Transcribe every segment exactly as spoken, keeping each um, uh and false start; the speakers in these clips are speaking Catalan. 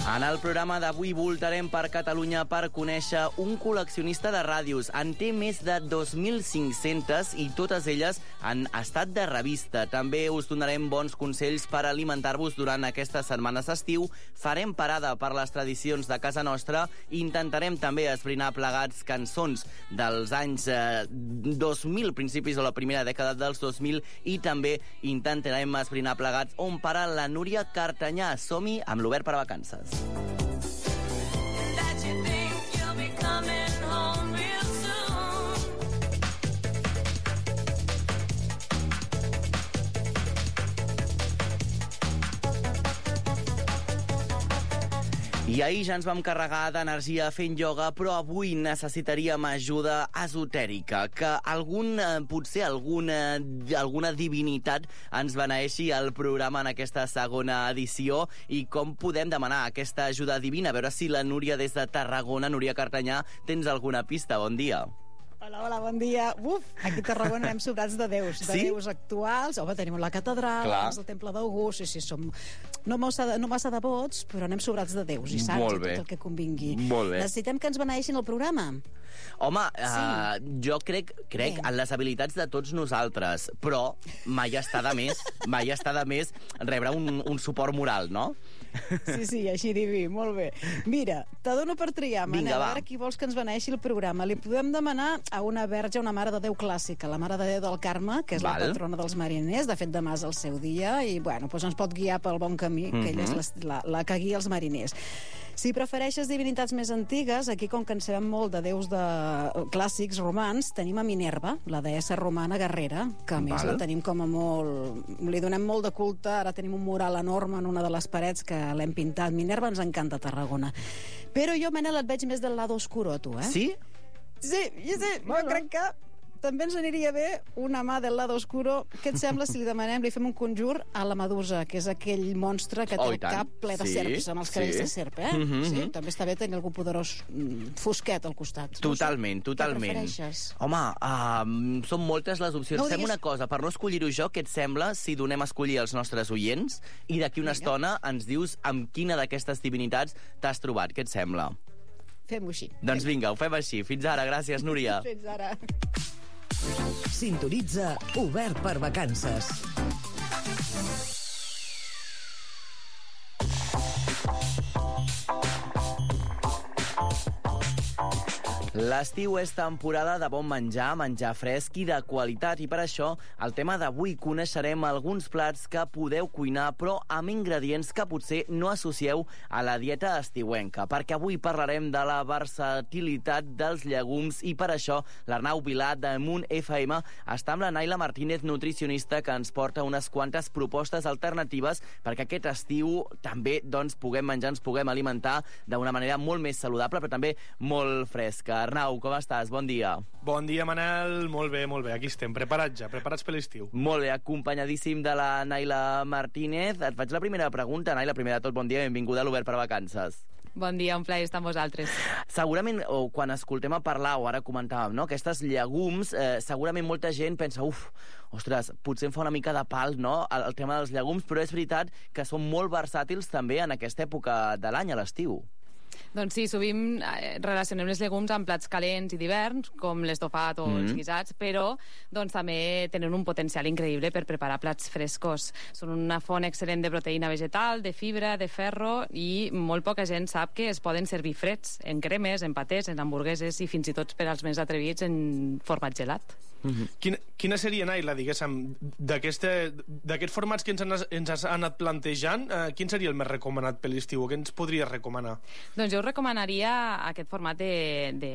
En el programa d'avui voltarem per Catalunya per conèixer un col·leccionista de ràdios. En té més de dos mil cinc-centes i totes elles en estat de revista. També us donarem bons consells per alimentar-vos durant aquestes setmanes d'estiu. Farem parada per les tradicions de casa nostra i intentarem també esbrinar plegats cançons dels anys eh, dos mil, principis de la primera dècada dels dos mil, i també intentarem esbrinar plegats on para la Núria Cartanyà. Som-hi amb l'Obert per a Vacances. I ahir ja ens vam carregar d'energia fent ioga, però avui necessitaríem ajuda esotèrica, que algun, potser alguna, alguna divinitat ens beneeixi al programa en aquesta segona edició. I com podem demanar aquesta ajuda divina? A veure si la Núria des de Tarragona, Núria Cartanyà, tens alguna pista. Bon dia. Hola, hola, bon dia. Uf, aquí a Tarragona anem sobrats de déus, de sí? déus actuals. Home, tenim la catedral, el temple d'August, sí, sí, som no massa, no massa devots, però anem sobrats de déus i sants i tot el que convingui. Molt bé. Necessitem que ens beneeixin el programa. Home, sí. uh, jo crec, crec en les habilitats de tots nosaltres, però mai està de més, mai està de més rebre un, un suport moral, no? Sí, sí, així diví, molt bé. Mira, te dono per triar, Manel, Vinga, a veure qui vols que ens beneeixi el programa. Li podem demanar a una verge, una mare de Déu clàssica, la mare de Déu del Carme, que és Val. la patrona dels mariners. De fet, demà és el seu dia i, bueno, doncs ens pot guiar pel bon camí, que mm-hmm. ella és la, la, la que guia els mariners. Si prefereixes divinitats més antigues, aquí, com que en sabem molt de déus de clàssics romans, tenim a Minerva, la deessa romana guerrera, que a més Val. la tenim com a molt... Li donem molt de culte, ara tenim un mural enorme en una de les parets que l'hem pintat. Minerva ens encanta a Tarragona. Però jo, Manel, et veig més del lado oscuro, tu, eh? Sí? Sí, sí, sí. Jo crec que també ens aniria bé una mà del lado oscuro. Què et sembla si li demanem, li fem un conjur a la Medusa, que és aquell monstre que té oh, el cap ple de sí, serps, amb els cabells sí. de serp, eh? Mm-hmm. Sí, també està bé tenir algú poderós fosquet al costat. Totalment, no sé. totalment. Què prefereixes? Home, uh, són moltes les opcions. No Fem diguis... una cosa, per no escollir-ho jo, què et sembla si donem a escollir als nostres oients i d'aquí una Vinga. estona ens dius amb quina d'aquestes divinitats t'has trobat? Què et sembla? Fem-ho així. Doncs vinga, ho fem així. Fins ara. Gràcies, Núria. Fins ara. Sintonitza Obert per Vacances. L'estiu és temporada de bon menjar, menjar fresc i de qualitat, i per això el tema d'avui coneixerem alguns plats que podeu cuinar però amb ingredients que potser no associeu a la dieta estiuenca, perquè avui parlarem de la versatilitat dels llegums i per això l'Arnau Vilà de Munt F M està amb la Naila Martínez, nutricionista, que ens porta unes quantes propostes alternatives perquè aquest estiu també doncs, puguem menjar, ens puguem alimentar d'una manera molt més saludable però també molt fresca. Arnau, com estàs? Bon dia. Bon dia, Manel. Molt bé, molt bé. Aquí estem, preparats ja, preparats per l'estiu. Molt bé, acompanyadíssim de la Naila Martínez. Et faig la primera pregunta. Naila, primer de tot, bon dia, benvinguda a l'Obert per a Vacances. Bon dia, un plaer estar amb vosaltres. Segurament, o quan escoltem a parlar, o ara comentàvem, no?, aquestes llegums, eh, segurament molta gent pensa, uf, ostres, potser em fa una mica de pal, no?, el, el tema dels llegums, però és veritat que són molt versàtils també en aquesta època de l'any, a l'estiu. Doncs sí, sovint relacionem les llegums amb plats calents i d'hivern, com l'estofat o mm. els guisats, però doncs, també tenen un potencial increïble per preparar plats frescos. Són una font excel·lent de proteïna vegetal, de fibra, de ferro, i molt poca gent sap que es poden servir freds, en cremes, en patés, en hamburgueses i fins i tot per als més atrevits en format gelat. Mm-hmm. Quina, quina seria, Naila, diguéssim, d'aquests formats que ens, han, ens has anat plantejant, eh, quin seria el més recomanat per l'estiu? O què ens podries recomanar? Doncs jo us recomanaria aquest format de, de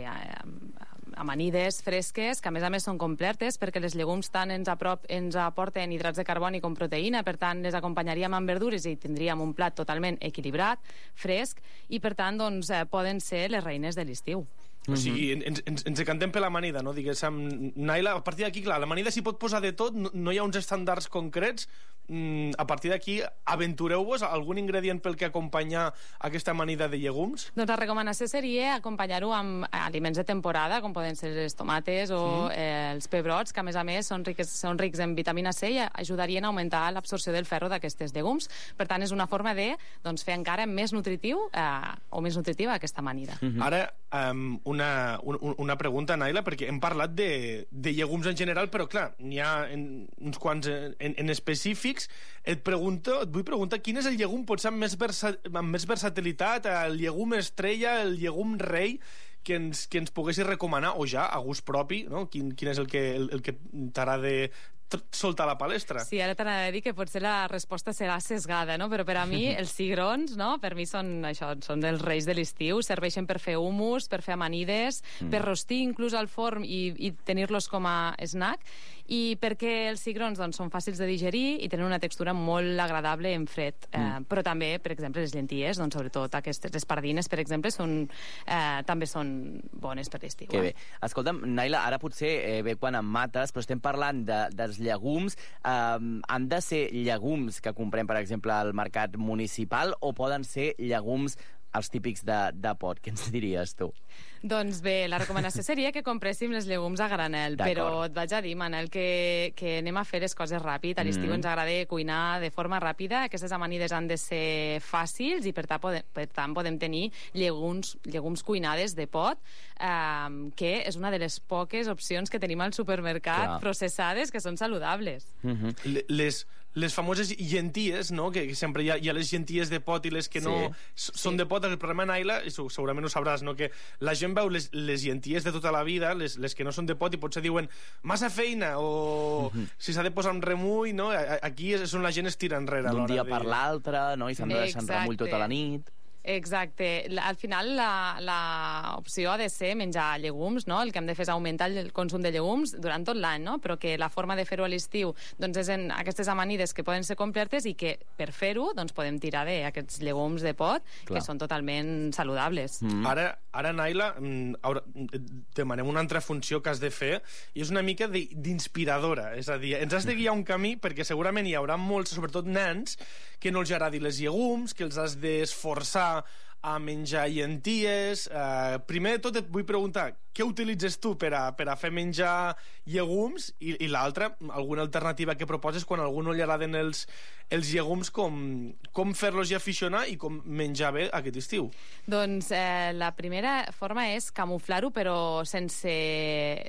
amanides fresques, que a més a més són completes, perquè les llegums tant ens, aprop, ens aporten hidrats de carboni com proteïna, per tant les acompanyaríem amb verdures i tindríem un plat totalment equilibrat, fresc, i per tant doncs, eh, poden ser les reines de l'estiu. O sigui, ens, ens, ens decantem per l'amanida, no? Diguéssim, Naila, a partir d'aquí, clar, l'amanida s'hi pot posar de tot, no, no hi ha uns estàndards concrets. mm, a partir d'aquí, aventureu-vos algun ingredient pel que acompanyar aquesta amanida de llegums? Doncs la recomanació seria acompanyar-ho amb aliments de temporada, com poden ser les tomates o mm. eh, els pebrots, que a més a més són rics, són rics en vitamina C i ajudarien a augmentar l'absorció del ferro d'aquestes llegums. Per tant, és una forma de doncs, fer encara més nutritiu eh, o més nutritiva aquesta amanida. Mm-hmm. Ara, um, una, un, una pregunta, Naila, perquè hem parlat de, de llegums en general, però clar, n'hi ha en, uns quants en, en específics. Et pregunto, et vull preguntar quin és el llegum potser amb més, versa, amb més versatilitat, el llegum estrella, el llegum rei, que ens, que ens poguessis recomanar, o ja, a gust propi, no? Quin, quin és el que, el, el que t'agrada soltar a la palestra? Sí, ara t'anava a dir que potser la resposta serà sesgada, no? Però per a mi els cigrons, no? Per mi són això, són els reis de l'estiu, serveixen per fer humus, per fer amanides, mm. per rostir inclús al forn i, i tenir-los com a snack. I perquè els cigrons doncs, són fàcils de digerir i tenen una textura molt agradable en fred. Mm. Eh, però també, per exemple, les llenties, doncs, sobretot aquestes espardines, per exemple, són, eh, també són bones per l'estiu. Que eh? bé. Escolta'm, Naila, ara potser eh, bé quan em mates, però estem parlant de, dels llegums. Eh, han de ser llegums que comprem, per exemple, al mercat municipal o poden ser llegums els típics de, de pot? Què ens diries, tu? Doncs bé, la recomanació seria que compréssim les llegums a granel, però et vaig a dir, Manel, que, que anem a fer les coses ràpid. A l'estiu mm. ens agrada cuinar de forma ràpida. Aquestes amanides han de ser fàcils i, per tant, podem, per tant, podem tenir llegums, llegums cuinades de pot, eh, que és una de les poques opcions que tenim al supermercat, clar, processades, que són saludables. Mm-hmm. Les... les famoses llenties, no? Que sempre hi ha, hi ha les llenties de pot i les que no sí. són sí. de pot. El problema, Naila, i segurament ho sabràs, no? Que la gent veu les, les llenties de tota la vida, les, les que no són de pot, i potser diuen massa feina, o mm-hmm. si s'ha de posar un remull, no? Aquí és on la gent es tira enrere. D'un dia de... per l'altre, no? I s'han de deixar en remull tota la nit. Exacte. Al final l'opció ha de ser menjar llegums, no? El que hem de fer és augmentar el consum de llegums durant tot l'any, no? Però que la forma de fer-ho a l'estiu doncs és en aquestes amanides que poden ser completes i que per fer-ho doncs podem tirar d'aquests llegums de pot, clar, que són totalment saludables. Mm. Ara, ara, Naila, demanem una altra funció que has de fer i és una mica d'inspiradora. És a dir, ens has de guiar un camí perquè segurament hi haurà molts, sobretot nens, que no els agradi les llegums, que els has d'esforçar a menjar llenties. Eh, primer de tot et vull preguntar què utilitzes tu per a, per a fer menjar llegums i, i l'altra, alguna alternativa que proposes quan a algú no li agraden els, els llegums, com, com fer-los i aficionar i com menjar bé aquest estiu? Doncs eh, la primera forma és camuflar-ho, però sense,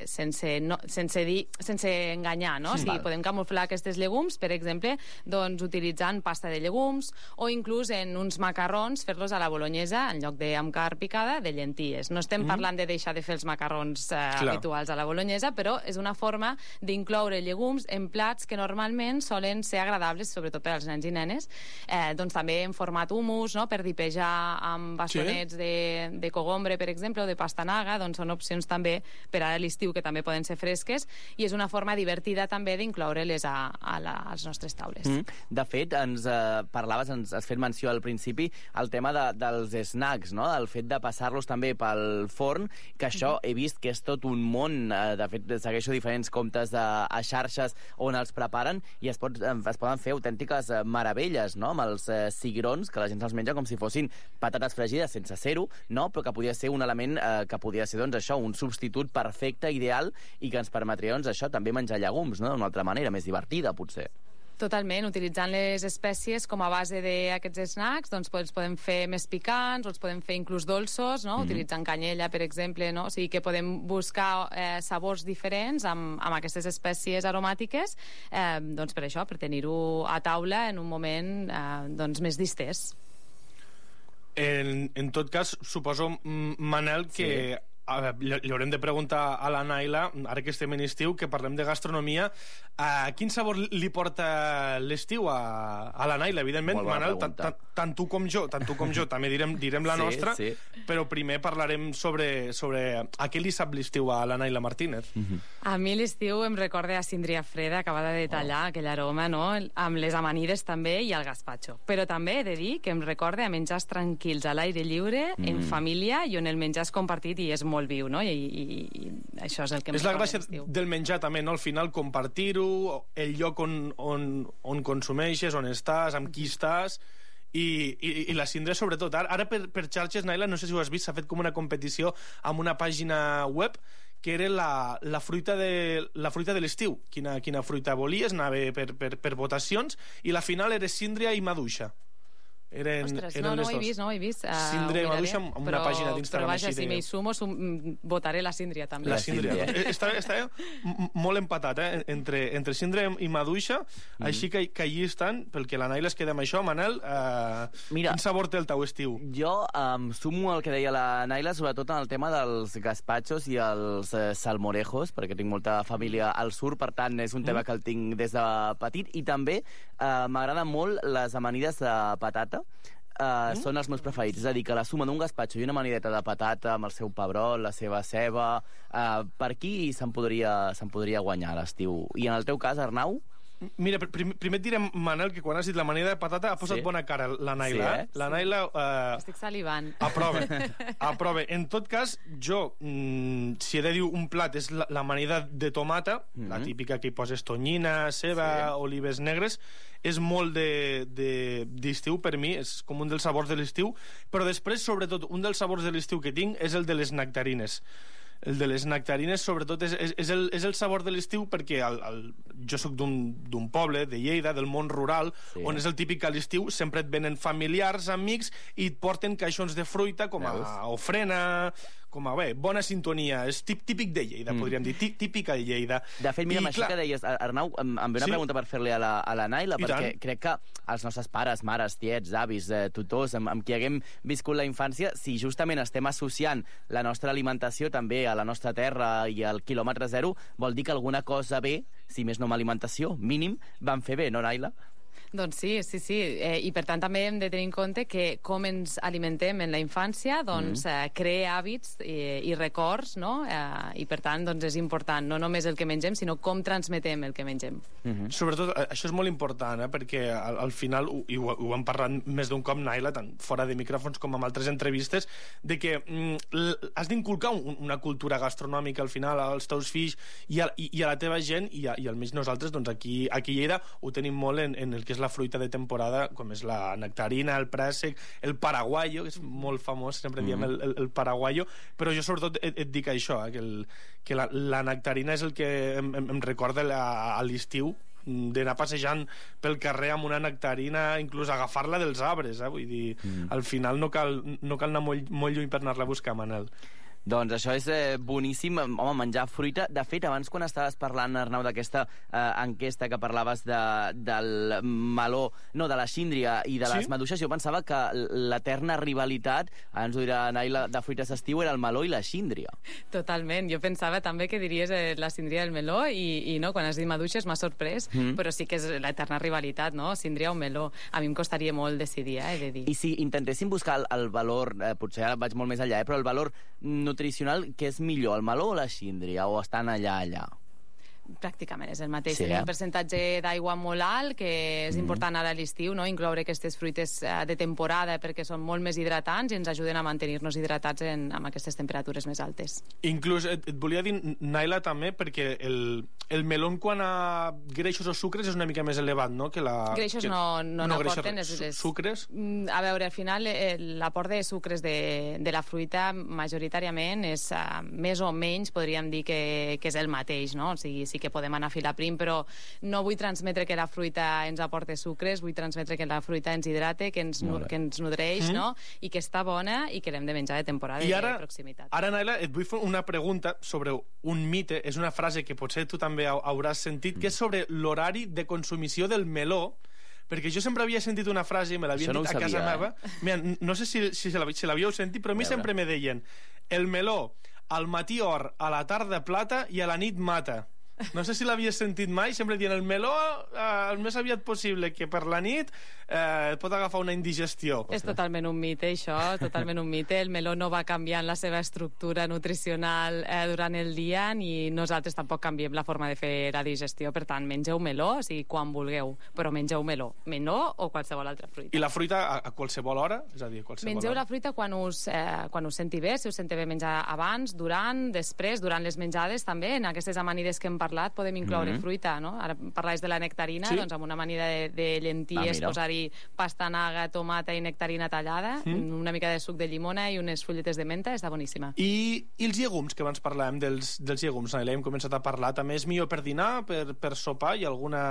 sense, no, sense, dir, sense enganyar, no? Sí, o sigui, podem camuflar aquests llegums, per exemple, doncs, utilitzant pasta de llegums o inclús en uns macarrons fer-los a la bolognesa en lloc de amb carn picada de llenties. No estem mm. parlant de deixar de fer els macarrons eh, habituals a la bolognesa, però és una forma d'incloure llegums en plats que normalment solen ser agradables, sobretot per als nens i nenes. Eh, doncs també en format hummus, no? Per dipejar amb bastonets sí. de, de cogombre, per exemple, o de pastanaga, doncs són opcions també per a l'estiu que també poden ser fresques i és una forma divertida també d'incloure-les a, a, la, a les nostres taules. Mm. De fet, ens eh, parlaves, ens has fet menció al principi, el tema de, dels snacks, no? El fet de passar-los també pel forn, que això he vist que és tot un món. De fet, segueixo diferents comptes de, a xarxes on els preparen i es, pot, es poden fer autèntiques meravelles, no? Amb els eh, cigrons, que la gent se'ls menja com si fossin patates fregides sense ser-ho, no? Però que podria ser un element eh, que podria ser, doncs, això, un substitut perfecte, ideal, i que ens permetria, doncs, això, també menjar llegums, no? D'una altra manera, més divertida, potser. Totalment, utilitzant les espècies com a base d'aquests snacks, doncs els podem fer més picants, o els podem fer inclús dolços, no? Mm-hmm. Utilitzant canyella, per exemple, no? O sigui que podem buscar eh, sabors diferents amb, amb aquestes espècies aromàtiques, eh, doncs per això, per tenir-ho a taula en un moment eh, doncs més distès. En, en tot cas, suposo, Manel, que... Sí. A veure, li haurem de preguntar a la Naila, ara que estem en estiu, que parlem de gastronomia, uh, quin sabor li porta l'estiu a, a la Naila? Evidentment, Manel, tant, tant, tant tu com jo, tant tu com jo també direm, direm la sí, nostra, sí. Però primer parlarem sobre, sobre a què li sap l'estiu a la Naila Martínez. Mm-hmm. A mi l'estiu em recorda a síndria freda, acabada de tallar, oh. aquell aroma, no? Amb les amanides també i el gazpacho. Però també he de dir que em recorda a menjars tranquils a l'aire lliure, mm. en família, i on el menjar és compartit i és molt molt viu, no? I, i, i això és el que... És la gràcia del menjar també, no? Al final compartir-ho, el lloc on, on, on consumeixes, on estàs, amb qui estàs, i, i, i la síndria sobretot. Ara, ara per, per xarxes, Naila, no sé si ho has vist, s'ha fet com una competició amb una pàgina web que era la, la fruita de, la fruita de l'estiu. Quina, quina fruita volies, anava per, per, per votacions, i la final era síndria i maduixa. Eren, Ostres, eren no, no les ho he dos. vist, no ho he vist. Uh, Síndria i maduixa amb una però, pàgina d'Instagram. Però vaja, així si de... m'hi sumo, sum, votaré la síndria també. La síndria. Està, està molt empatat, eh? Entre, entre síndria i maduixa, mm. així que, que allí estan, pel que la Naila es queda amb això. Manel, eh, Mira, quin sabor té el teu estiu? Jo um, sumo el que deia la Naila, sobretot en el tema dels gazpachos i els eh, salmorejos, perquè tinc molta família al sur, per tant, és un tema mm. que el tinc des de petit, i també eh, m'agraden molt les amanides de patata. Uh, mm. Són els meus preferits, és a dir, que la suma d'un gazpacho i una amanideta de patata amb el seu pebrot, la seva ceba, uh, per aquí se'n podria, se'n podria guanyar l'estiu. I en el teu cas, Arnau? Mira, primer, primer et diré, Manel, que quan has dit l'amanida de patata ha posat sí. bona cara la Naila. Sí, eh? La Naila... Eh, Estic salivant. Aprova, aprova. En tot cas, jo, mm, si he de dir un plat, és l'amanida de tomata, mm -hmm. la típica que hi poses tonyina, ceba, sí. olives negres, és molt d'estiu de, per mi, és com un dels sabors de l'estiu, però després, sobretot, un dels sabors de l'estiu que tinc és el de les nectarines. El de les nectarines, sobretot, és, és, és, el, és el sabor de l'estiu, perquè el, el, jo sóc d'un poble, de Lleida, del món rural, sí. on és el típic que a l'estiu sempre et venen familiars, amics, i et porten caixons de fruita com a Veus? ofrena, com a, bé, bona sintonia. És típic de Lleida, mm. podríem dir, típica de Lleida. De fet, mira, amb això que deies, Arnau, em, em ve una sí? pregunta per fer-li a, la, a la Naila, I perquè tant. crec que els nostres pares, mares, tiets, avis, eh, tutors, amb, amb qui haguem viscut la infància, si justament estem associant la nostra alimentació també a la nostra terra i al quilòmetre zero, vol dir que alguna cosa bé, si més no amb alimentació, mínim, van fer bé, no, Naila? Doncs sí, sí, sí. Eh, I per tant també hem de tenir en compte que com ens alimentem en la infància doncs, mm. eh, crea hàbits i, i records, no? Eh, I per tant doncs, és important no només el que mengem, sinó com transmetem el que mengem. Mm -hmm. Sobretot, això és molt important, eh? perquè al, al final, i ho, ho hem parlat més d'un cop, Naila, tant fora de micròfons com amb altres entrevistes, de que mm, has d'inculcar un, una cultura gastronòmica al final als teus fills i a, i, i a la teva gent, i, a, i almenys nosaltres doncs, aquí, aquí a Lleida ho tenim molt en, en el que és la fruita de temporada, com és la nectarina, el préssec, el paraguayo, que és molt famós, sempre diem el, el, el paraguayo, però jo sobretot et, et dic això, eh, que, el, que la, la nectarina és el que em, em, em recorda la, a l'estiu, d'anar passejant pel carrer amb una nectarina, inclús agafar-la dels arbres, eh? Vull dir, mm. al final no cal, no cal anar molt, molt lluny per anar-la a buscar, Manel. Doncs això és eh, boníssim, home, menjar fruita. De fet, abans quan estaves parlant, Arnau, d'aquesta eh, enquesta que parlaves de, del meló, no, de la síndria i de les sí? maduixes, jo pensava que l'eterna rivalitat, ara ens ho dirà Naila, de fruites d'estiu era el meló i la síndria. Totalment, jo pensava també que diries eh, la síndria del meló i, i no, quan has dit maduixes m'ha sorprès, mm. però sí que és l'eterna rivalitat, no? Síndria o meló. A mi em costaria molt decidir, eh, he de dir. I si intentéssim buscar el, el valor, eh, potser ara vaig molt més allà, eh, però el valor nutricional, què és millor, el meló o la síndria, o estan allà, allà? Pràcticament és el mateix. Sí, Tenim eh? un percentatge d'aigua molt alt, que és mm. important ara a l'estiu, no? Incloure aquestes fruites de temporada perquè són molt més hidratants i ens ajuden a mantenir-nos hidratats en, amb aquestes temperatures més altes. Inclús et, et volia dir, Naila, també, perquè el, el meló quan a greixos o sucres és una mica més elevat, no? Que la, greixos que, no, no, no n'aporten. Les... Sucres? A veure, al final l'aport de sucres de, de la fruita majoritàriament és uh, més o menys, podríem dir que, que és el mateix, no? O sigui, sí que podem anar a filar prim, però no vull transmetre que la fruita ens aporte sucres, vull transmetre que la fruita ens hidrate, que ens, que ens nodreix, mm. no? I que està bona i que l'hem de menjar de temporada i ara, de proximitat. Ara, Naila, et vull fer una pregunta sobre un mite, és una frase que potser tu també hauràs sentit, mm. que és sobre l'horari de consumició del meló, perquè jo sempre havia sentit una frase, me l'havien no dit a casa sabia, meva, eh? Mira, no sé si, si, si l'havíeu sentit, però a mi sempre me deien el meló al matí or, a la tarda plata i a la nit mata. No sé si l'havies sentit mai, sempre dient el meló eh, el més aviat possible, que per la nit eh, pot agafar una indigestió. És totalment un mite, això, totalment un mite. El meló no va canviant la seva estructura nutricional eh, durant el dia, ni nosaltres tampoc canviem la forma de fer la digestió. Per tant, mengeu meló, o sigui, quan vulgueu, però mengeu meló. Meló o qualsevol altra fruita. I la fruita a, a qualsevol hora? És a dir, a qualsevol Mengeu hora. la fruita quan us, eh, quan us senti bé, si us senti bé menjar abans, durant, després, durant les menjades, també. En aquestes amanides que hem parlat podem incloure mm-hmm. fruita, no? Ara parlaves de la nectarina, sí. doncs amb una amanida de, de llenties, ah, posar-hi pastanaga, tomata i nectarina tallada, mm. una mica de suc de llimona i unes fulletes de menta, està boníssima. I, i els llegums, que abans parlàvem dels, dels llegums, Naila, hem començat a parlar, també és millor per dinar, per, per sopar, hi ha alguna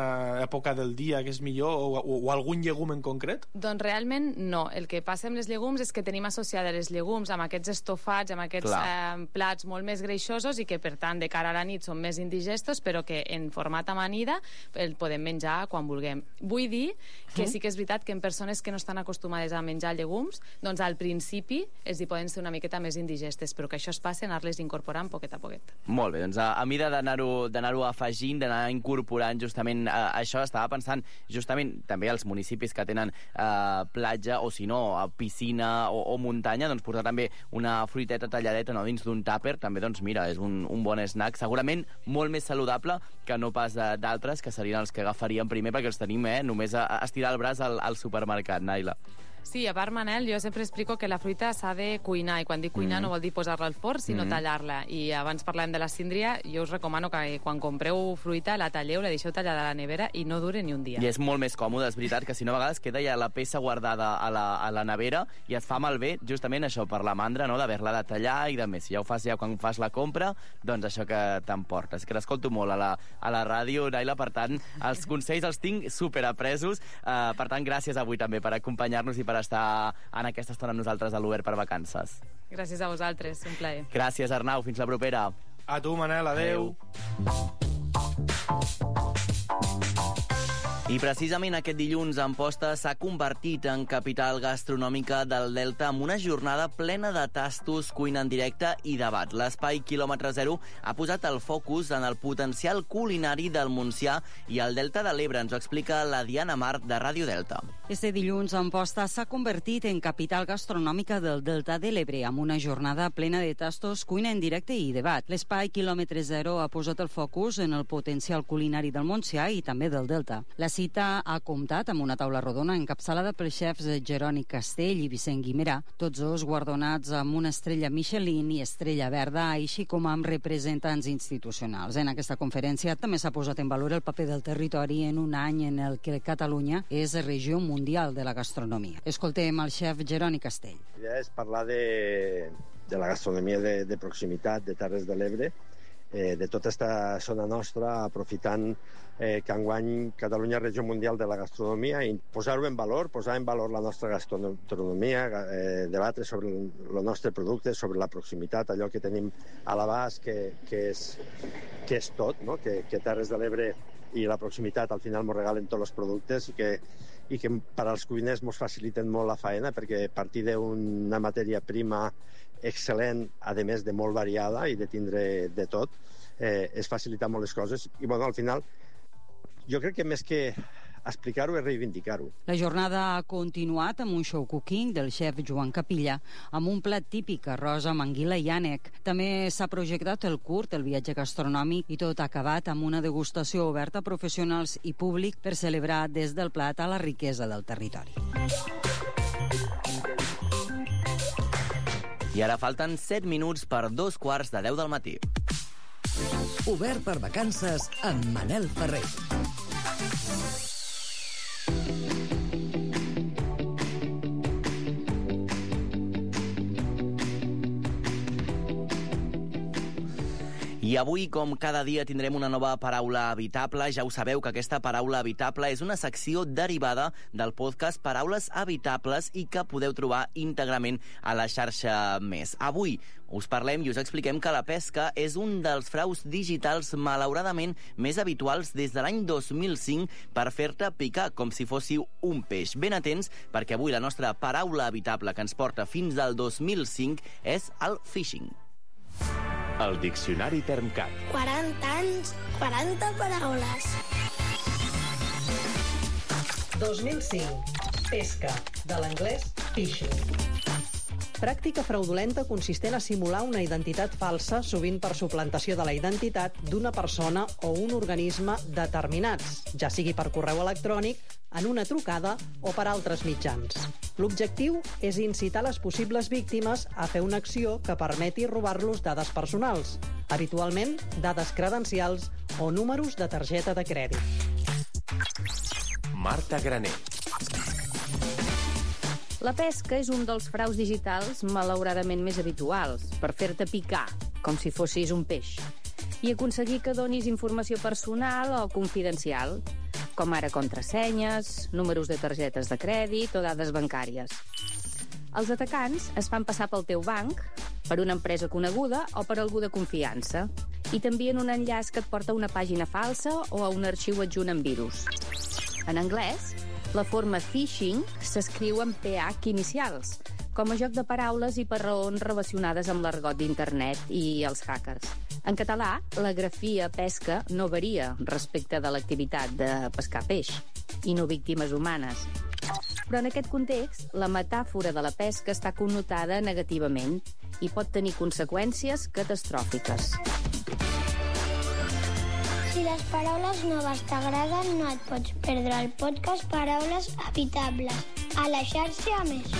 època del dia que és millor, o, o, o algun llegum en concret? Doncs realment no. El que passa amb les llegums és que tenim associades les llegums amb aquests estofats, amb aquests eh, plats molt més greixosos i que, per tant, de cara a la nit són més indigestos, però que en format amanida el podem menjar quan vulguem. Vull dir que sí que és veritat que en persones que no estan acostumades a menjar llegums, doncs al principi els hi poden ser una miqueta més indigestes, però que això es passa en anar-les incorporant poquet a poquet. Molt bé, doncs a, a mida d'anar-ho d'anar-ho afegint, d'anar incorporant justament eh, això, estava pensant justament també als municipis que tenen eh, platja o si no, piscina o, o muntanya, doncs portar també una fruiteta talladeta no, dins d'un tàper, també doncs mira, és un, un bon snack, segurament molt més saludable que no pas d'altres, que serien els que agafaríem primer perquè els tenim eh, només a, a estirar el braç al, al supermercat, Naila. Sí, a part, Manel, jo sempre explico que la fruita s'ha de cuinar, i quan dic cuinar mm. no vol dir posar-la al forn, sinó mm. tallar-la. I abans parlàvem de la síndria, jo us recomano que quan compreu fruita la talleu, la deixeu tallada a la nevera i no dure ni un dia. I és molt més còmode, és veritat, que si no a vegades queda ja la peça guardada a la, a la nevera i et fa malbé justament això, per la mandra, no?, d'haver-la de tallar i de més. Si ja ho fas ja quan fas la compra, doncs això que t'emportes. Que t'escolto molt a la, a la ràdio, Naila, per tant, els consells els tinc superapresos. Uh, per tant, gràcies avui també per acompanyar-nos i per estar en aquesta estona amb nosaltres a l'Obert per Vacances. Gràcies a vosaltres, un plaer. Gràcies, Arnau, fins la propera. A tu, Manel, adeu. I precisament aquest dilluns Amposta s'ha convertit en capital gastronòmica del Delta amb una jornada plena de tastos, cuina en directe i debat. L'espai quilòmetre zero ha posat el focus en el potencial culinari del Montsià i el Delta de l'Ebre. Ens ho explica la Diana Mart de Ràdio Delta. Este dilluns Amposta s'ha convertit en capital gastronòmica del Delta de l'Ebre amb una jornada plena de tastos, cuina en directe i debat. L'espai quilòmetre zero ha posat el focus en el potencial culinari del Montsià i també del Delta. La cita ha comptat amb una taula rodona encapçalada pels xefs Jeroni Castell i Vicent Guimerà, tots dos guardonats amb una estrella Michelin i estrella verda, així com amb representants institucionals. En aquesta conferència també s'ha posat en valor el paper del territori en un any en el que Catalunya és regió mundial de la gastronomia. Escoltem el xef Jeroni Castell. La idea és parlar de, de la gastronomia de, de proximitat de Terres de l'Ebre, eh, de tota aquesta zona nostra, aprofitant eh, que enguany Catalunya és regió mundial de la gastronomia i posar-ho en valor, posar en valor la nostra gastronomia, eh, debatre sobre el, el nostre producte, sobre la proximitat, allò que tenim a l'abast, que, que, és, que és tot, no? que, que Terres de l'Ebre i la proximitat al final ens regalen tots els productes i que, i que per als cuiners ens faciliten molt la faena perquè a partir d'una matèria prima excel·lent, a més de molt variada i de tindre de tot, eh, es facilita molt les coses i bueno, al final jo crec que més que explicar-ho és reivindicar-ho. La jornada ha continuat amb un show cooking del xef Joan Capilla amb un plat típic, arròs amb anguila i ànec. També s'ha projectat el curt, el viatge gastronòmic, i tot acabat amb una degustació oberta a professionals i públic per celebrar des del plat a la riquesa del territori. I ara falten set minuts per dos quarts de deu del matí. Obert per Vacances amb Manel Ferrer. I avui, com cada dia, tindrem una nova paraula habitable. Ja ho sabeu que aquesta paraula habitable és una secció derivada del podcast Paraules Habitables i que podeu trobar íntegrament a la xarxa Més. Avui us parlem i us expliquem que la pesca és un dels fraus digitals malauradament més habituals des de l'any dos mil cinc per fer-te picar com si fóssiu un peix. Ben atents, perquè avui la nostra paraula habitable que ens porta fins al dos mil cinc és el phishing. El Diccionari Termcat. quaranta anys, quaranta paraules. dos mil cinc. Pesca. De l'anglès fishing. Pràctica fraudulenta consistent a simular una identitat falsa, sovint per suplantació de la identitat d'una persona o un organisme determinats, ja sigui per correu electrònic, en una trucada o per altres mitjans. L'objectiu és incitar les possibles víctimes a fer una acció que permeti robar-los dades personals, habitualment dades credencials o números de targeta de crèdit. Marta Graner. La pesca és un dels fraus digitals malauradament més habituals, per fer-te picar, com si fossis un peix, i aconseguir que donis informació personal o confidencial, com ara contrasenyes, números de targetes de crèdit o dades bancàries. Els atacants es fan passar pel teu banc, per una empresa coneguda o per algú de confiança, i t'envien un enllaç que et porta a una pàgina falsa o a un arxiu adjunt amb virus. En anglès, la forma phishing s'escriu amb pe hac inicials, com a joc de paraules i per raons relacionades amb l'argot d'internet i els hackers. En català, la grafia pesca no varia respecte de l'activitat de pescar peix i no víctimes humanes. Però en aquest context, la metàfora de la pesca està connotada negativament i pot tenir conseqüències catastròfiques. Si les paraules noves t'agraden, no et pots perdre el podcast Paraules Habitables, a la xarxa Més.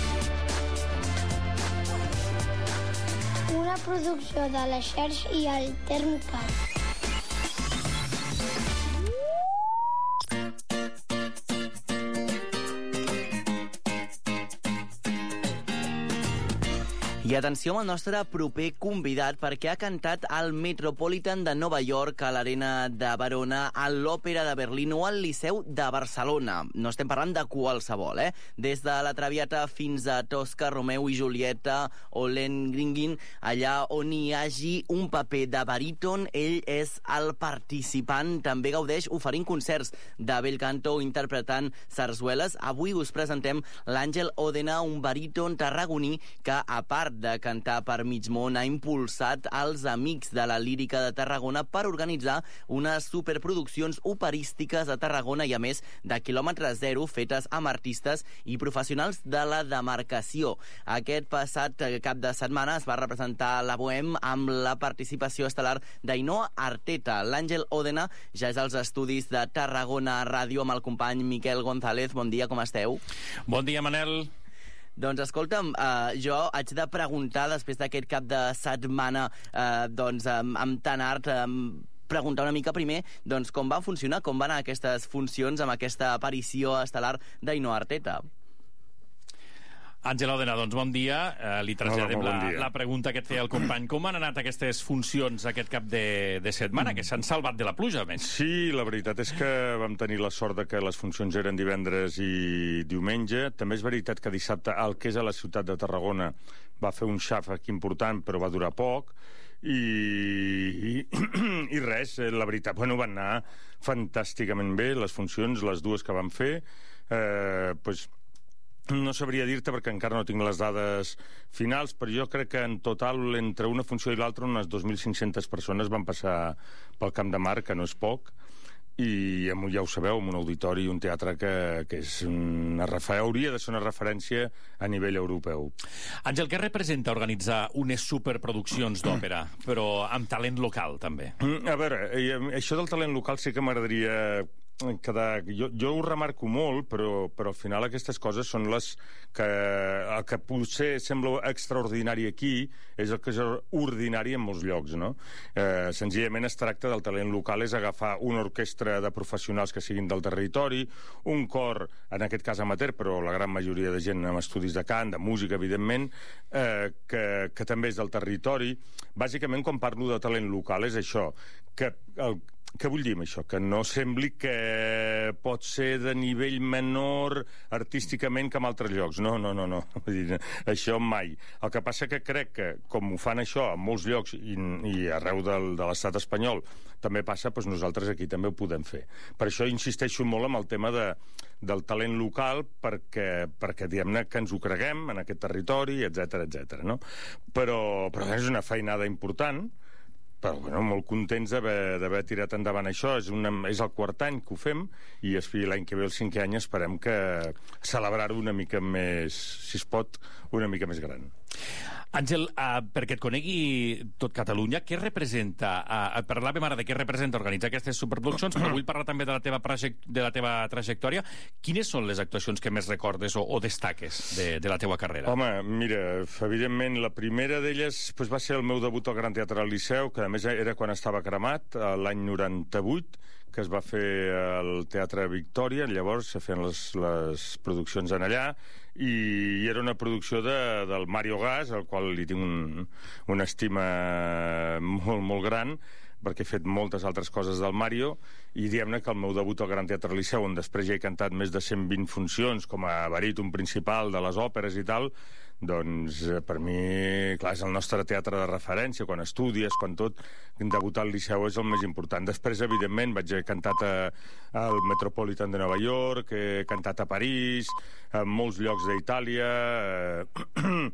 Una producció de la xarxa i el Termcat. I atenció amb el nostre proper convidat, perquè ha cantat al Metropolitan de Nova York, a l'Arena de Verona, a l'Òpera de Berlín o al Liceu de Barcelona. No estem parlant de qualsevol, eh? Des de la Traviata fins a Tosca, Romeu i Julieta o Lohengrin, allà on hi hagi un paper de baríton, ell és el participant. També gaudeix oferint concerts de bel canto o interpretant sarsueles. Avui us presentem l'Àngel Òdena, un baríton tarragoní que, a part de cantar per mig món, ha impulsat els Amics de la Lírica de Tarragona per organitzar unes superproduccions operístiques a Tarragona i, a més, de quilòmetre zero, fetes amb artistes i professionals de la demarcació. Aquest passat cap de setmana es va representar la Bohème amb la participació estel·lar d'Ainhoa Arteta. L'Àngel Òdena ja és als estudis de Tarragona Ràdio amb el company Miquel González. Bon dia, com esteu? Bon dia, Manel. Doncs escolta'm, eh, jo haig de preguntar, després d'aquest cap de setmana eh, doncs, amb, amb tant art, eh, preguntar una mica primer doncs, com va funcionar, com van anar aquestes funcions amb aquesta aparició estel·lar d'Ainhoa Arteta. Àngel Òdena, doncs bon dia. Eh, li traslladem Hola, bon la, dia. la pregunta que et feia el company. Com han anat aquestes funcions aquest cap de, de setmana, que s'han salvat de la pluja, a més? Sí, la veritat és que vam tenir la sort de que les funcions eren divendres i diumenge. També és veritat que dissabte el que és a la ciutat de Tarragona va fer un xàfec important, però va durar poc. I, i, i res, la veritat, bueno, van anar fantàsticament bé les funcions, les dues que vam fer. Eh, pues, no sabria dir-te perquè encara no tinc les dades finals, però jo crec que en total entre una funció i l'altra unes dos mil cinc-centes persones van passar pel Camp de Mar, que no és poc, i ja ho sabeu, amb un auditori i un teatre que, que és una refer... hauria de ser una referència a nivell europeu. Àngel, què representa organitzar unes superproduccions d'òpera, però amb talent local, també? A veure, això del talent local sí que m'agradaria quedar... Jo, jo ho remarco molt, però, però al final aquestes coses són les que... El que potser sembla extraordinari aquí és el que és ordinari en molts llocs, no? Eh, senzillament es tracta del talent local, és agafar una orquestra de professionals que siguin del territori, un cor, en aquest cas amateur, però la gran majoria de gent amb estudis de cant, de música, evidentment, eh, que, que també és del territori. Bàsicament, quan parlo de talent local, és això, que el Què vull dir amb això? Que no sembli que pot ser de nivell menor artísticament que en altres llocs. No, no, no, no. Vull dir, això mai. El que passa que crec que, com ho fan això en molts llocs i, i arreu del, de l'estat espanyol també passa, doncs nosaltres aquí també ho podem fer. Per això insisteixo molt amb el tema de, del talent local, perquè, perquè diguem-ne que ens ho creguem en aquest territori, etcètera, etcètera, no? Però, però és una feinada important, però bueno, molt contents d'haver tirat endavant això. És, una, és el quart any que ho fem i l'any que ve, el cinquè any, esperem que celebrar-ho una mica més, si es pot, una mica més gran. Àngel, uh, perquè et conegui tot Catalunya, què representa? Uh, et parlàvem ara de què representa organitzar aquestes superproduccions, però vull parlar també de la teva, de la teva trajectòria. Quines són les actuacions que més recordes o, o destaques de, de la teva carrera? Home, mira, evidentment, la primera d'elles pues, va ser el meu debut al Gran Teatre del Liceu, que a més era quan estava cremat, l'any noranta-vuit, que es va fer al Teatre Victòria, llavors se feien les, les produccions en allà, i era una producció de, del Mario Gas, al qual li tinc un, una estima molt, molt gran, perquè he fet moltes altres coses del Mario, i diguem-ne que el meu debut al Gran Teatre Liceu, on després ja he cantat més de cent vint funcions com a baríton principal de les òperes i tal, doncs per mi, clar, és el nostre teatre de referència, quan estudies, quan tot, debutar al Liceu és el més important. Després, evidentment, vaig haver cantat a, al Metropolitan de Nova York, he cantat a París, a molts llocs d'Itàlia, eh,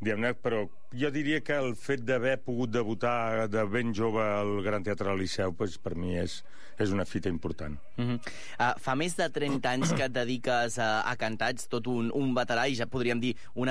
diguem-ne, però jo diria que el fet d'haver pogut debutar de ben jove al Gran Teatre del Liceu, pues, per mi és, és una fita important. Uh-huh. uh, fa més de trenta anys que et dediques a, a cantar, ets tot un, un veterà, i ja podríem dir una